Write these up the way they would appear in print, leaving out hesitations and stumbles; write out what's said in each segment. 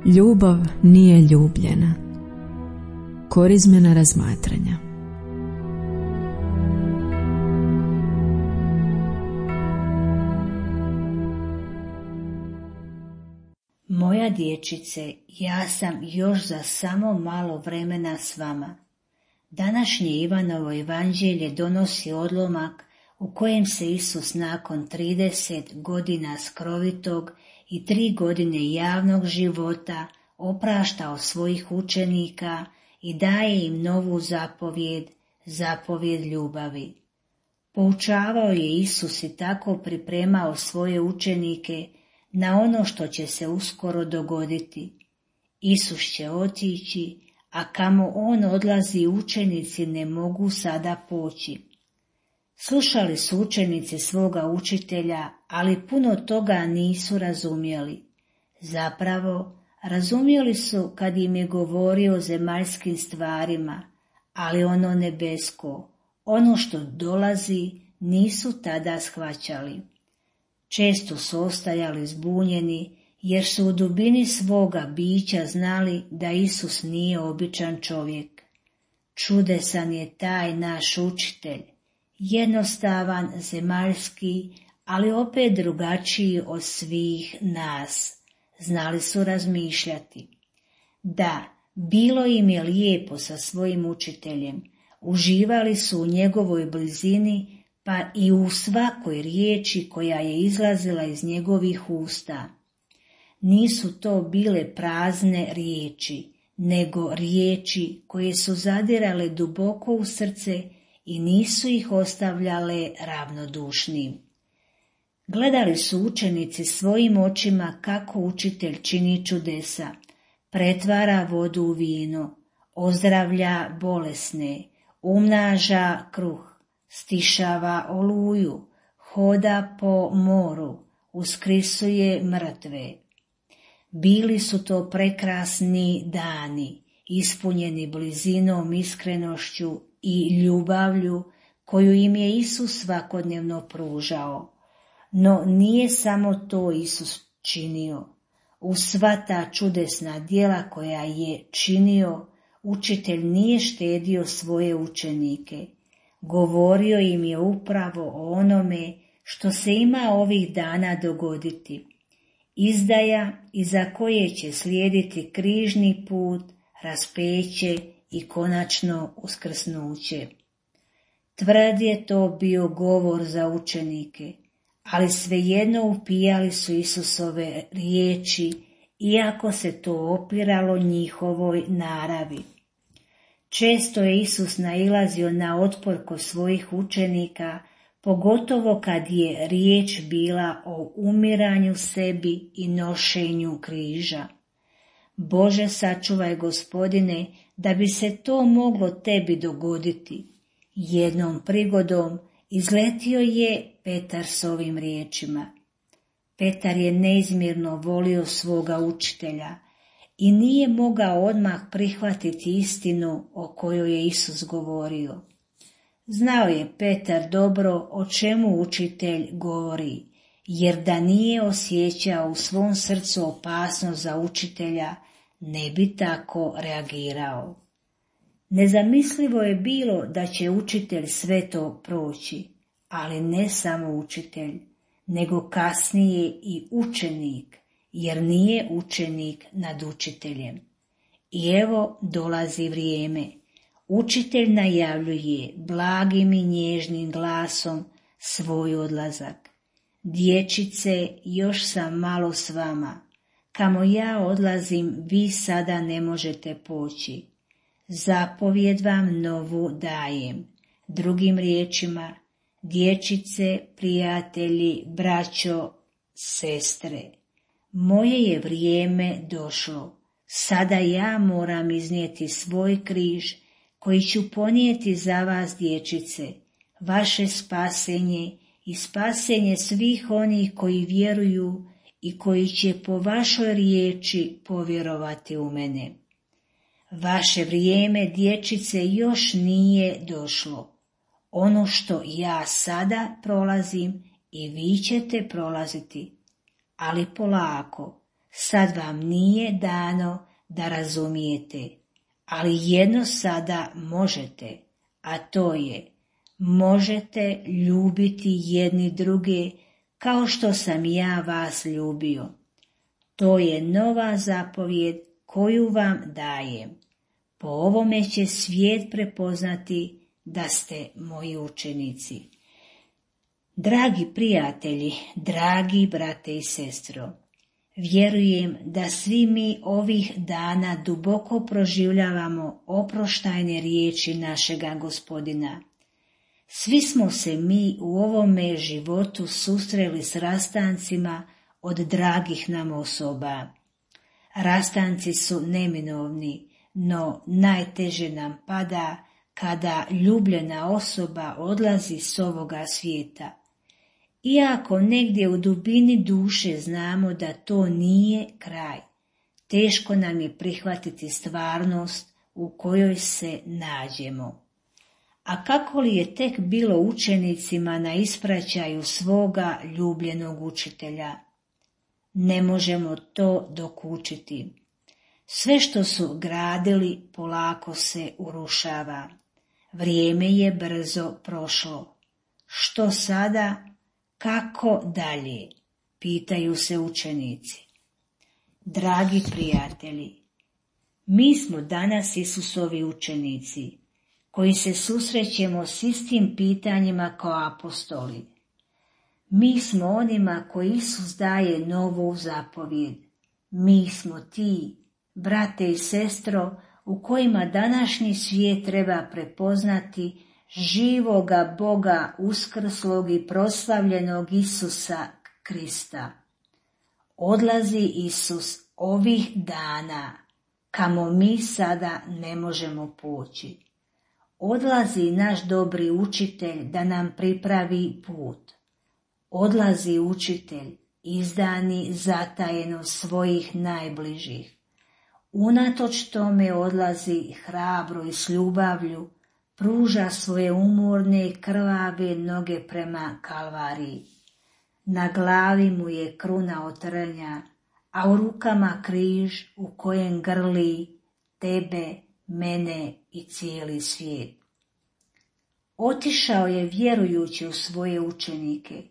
Ljubav nije ljubljena. Korizmena razmatranja. Moja dječice, ja sam još za samo malo vremena s vama. Današnje Ivanovo evanđelje donosi odlomak u kojem se Isus nakon 30 godina skrovitog i 3 godine javnog života oprašta od svojih učenika i daje im novu zapovjed, zapovjed ljubavi. Poučavao je Isus i tako pripremao svoje učenike na ono što će se uskoro dogoditi. Isus će otići, a kamo on odlazi učenici ne mogu sada poći. Slušali su učenici svoga učitelja, ali puno toga nisu razumjeli. Zapravo, razumjeli su kad im je govorio o zemaljskim stvarima, ali ono nebesko, ono što dolazi, nisu tada shvaćali. Često su ostajali zbunjeni, jer su u dubini svoga bića znali da Isus nije običan čovjek. Čudesan je taj naš učitelj, jednostavan, zemaljski, ali opet drugačiji od svih nas. Znali su razmišljati. Da, bilo im je lijepo sa svojim učiteljem, uživali su u njegovoj blizini, pa i u svakoj riječi koja je izlazila iz njegovih usta. Nisu to bile prazne riječi, nego riječi koje su zadirale duboko u srce i nisu ih ostavljale ravnodušnim. Gledali su učenici svojim očima kako učitelj čini čudesa, pretvara vodu u vino, ozdravlja bolesne, umnaža kruh, stišava oluju, hoda po moru, uskrisuje mrtve. Bili su to prekrasni dani, ispunjeni blizinom, iskrenošću i ljubavlju koju im je Isus svakodnevno pružao. No nije samo to Isus činio. U sva ta čudesna djela koja je činio, učitelj nije štedio svoje učenike. Govorio im je upravo o onome što se ima ovih dana dogoditi. Izdaja iza koje će slijediti križni put, raspeće i konačno uskrsnuće. Tvrd je to bio govor za učenike, ali svejedno upijali su Isusove riječi, iako se to opiralo njihovoj naravi. Često je Isus nailazio na otpor kod svojih učenika, pogotovo kad je riječ bila o umiranju sebi i nošenju križa. Bože, sačuvaj, Gospodine, da bi se to moglo tebi dogoditi. Jednom prigodom izletio je Petar s ovim riječima. Petar je neizmjerno volio svoga učitelja i nije mogao odmah prihvatiti istinu o kojoj je Isus govorio. Znao je Petar dobro o čemu učitelj govori, jer da nije osjećao u svom srcu opasnost za učitelja, ne bi tako reagirao. Nezamislivo je bilo da će učitelj sve to proći, ali ne samo učitelj, nego kasnije i učenik, jer nije učenik nad učiteljem. I evo dolazi vrijeme. Učitelj najavljuje blagim i nježnim glasom svoj odlazak. Dječice, još sam malo s vama. Kamo ja odlazim, vi sada ne možete poći. Zapovjed vam novu dajem. Drugim riječima, dječice, prijatelji, braćo, sestre, moje je vrijeme došlo. Sada ja moram iznijeti svoj križ koji ću ponijeti za vas, dječice, vaše spasenje i spasenje svih onih koji vjeruju i koji će po vašoj riječi povjerovati u mene. Vaše vrijeme, dječice, još nije došlo. Ono što ja sada prolazim i vi ćete prolaziti, ali polako, Sad vam nije dano da razumijete, ali jedno sada možete, a to je, možete ljubiti jedni druge kao što sam ja vas ljubio. To je nova zapovijed koju vam dajem. Po ovome će svijet prepoznati da ste moji učenici. Dragi prijatelji, dragi brate i sestro, vjerujem da svi mi ovih dana duboko proživljavamo oproštajne riječi našega Gospodina. Svi smo se mi u ovome životu susreli s rastancima od dragih nam osoba. Rastanci su neminovni, no najteže nam pada kada ljubljena osoba odlazi s ovoga svijeta. Iako negdje u dubini duše znamo da to nije kraj, teško nam je prihvatiti stvarnost u kojoj se nađemo. A kako li je tek bilo učenicima na ispraćaju svoga ljubljenog učitelja? Ne možemo to dokučiti. Sve što su gradili polako se urušava. Vrijeme je brzo prošlo. Što sada? Kako dalje? Pitaju se učenici. Dragi prijatelji, mi smo danas Isusovi učenici, koji se susrećemo s istim pitanjima kao apostoli. Mi smo onima koji Isus daje novu zapovijed. Mi smo ti, brate i sestro, u kojima današnji svijet treba prepoznati živoga Boga uskrslog i proslavljenog Isusa Krista. Odlazi Isus ovih dana, kamo mi sada ne možemo poći. Odlazi naš dobri učitelj da nam pripravi put. Odlazi učitelj, izdani zatajeno svojih najbližih. Unatoč tome odlazi hrabro i s ljubavlju, pruža svoje umorne i krvave noge prema Kalvariji. Na glavi mu je kruna od trnja, a u rukama križ u kojem grli tebe, mene i cijeli svijet. Otišao je vjerujući u svoje učenike,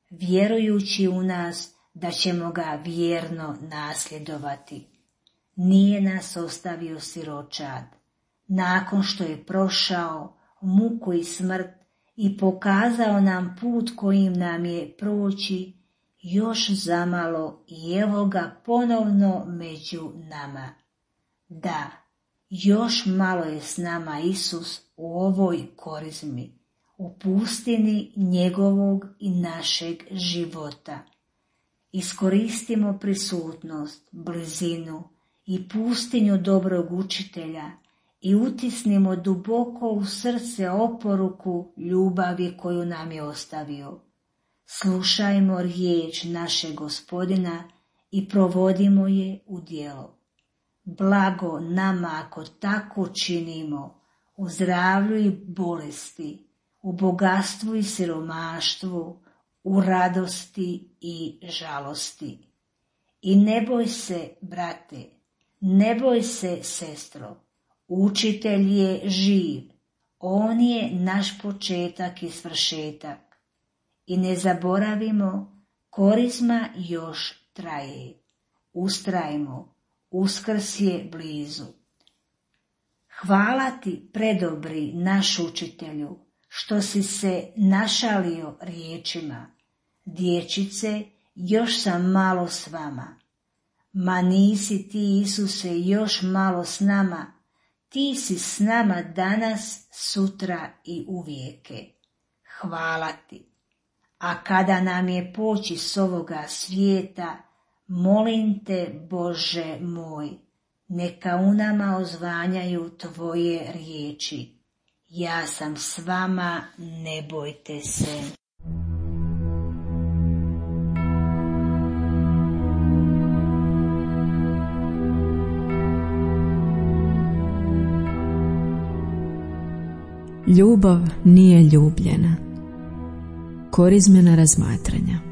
vjerujući u nas da ćemo ga vjerno nasljedovati. Nije nas ostavio siročad. Nakon što je prošao muku i smrt i pokazao nam put kojim nam je proći, još zamalo i evo ga ponovno među nama. Da, još malo je s nama Isus u ovoj korizmi, u pustini njegovog i našeg života. Iskoristimo prisutnost, blizinu i pustinju dobrog učitelja i utisnimo duboko u srce oporuku ljubavi koju nam je ostavio. Slušajmo riječ našeg Gospodina i provodimo je u djelo. Blago nama ako tako činimo, u zdravlju i bolesti, u bogatstvu i siromaštvu, u radosti i žalosti. I ne boj se, brate, ne boj se, sestro, učitelj je živ, on je naš početak i svršetak. I ne zaboravimo, korizma još traje. Ustrajmo, Uskrs je blizu. Hvala ti, predobri naš učitelju, što si se našalio riječima. Dječice, još sam malo s vama. Ma nisi ti, Isuse, još malo s nama, ti si s nama danas, sutra i uvijeke. Hvala ti. A kada nam je poći s ovoga svijeta, molim te, Bože moj, neka u nama ozvanjaju tvoje riječi. Ja sam s vama, ne bojte se. Ljubav nije ljubljena. Korizmena razmatranja.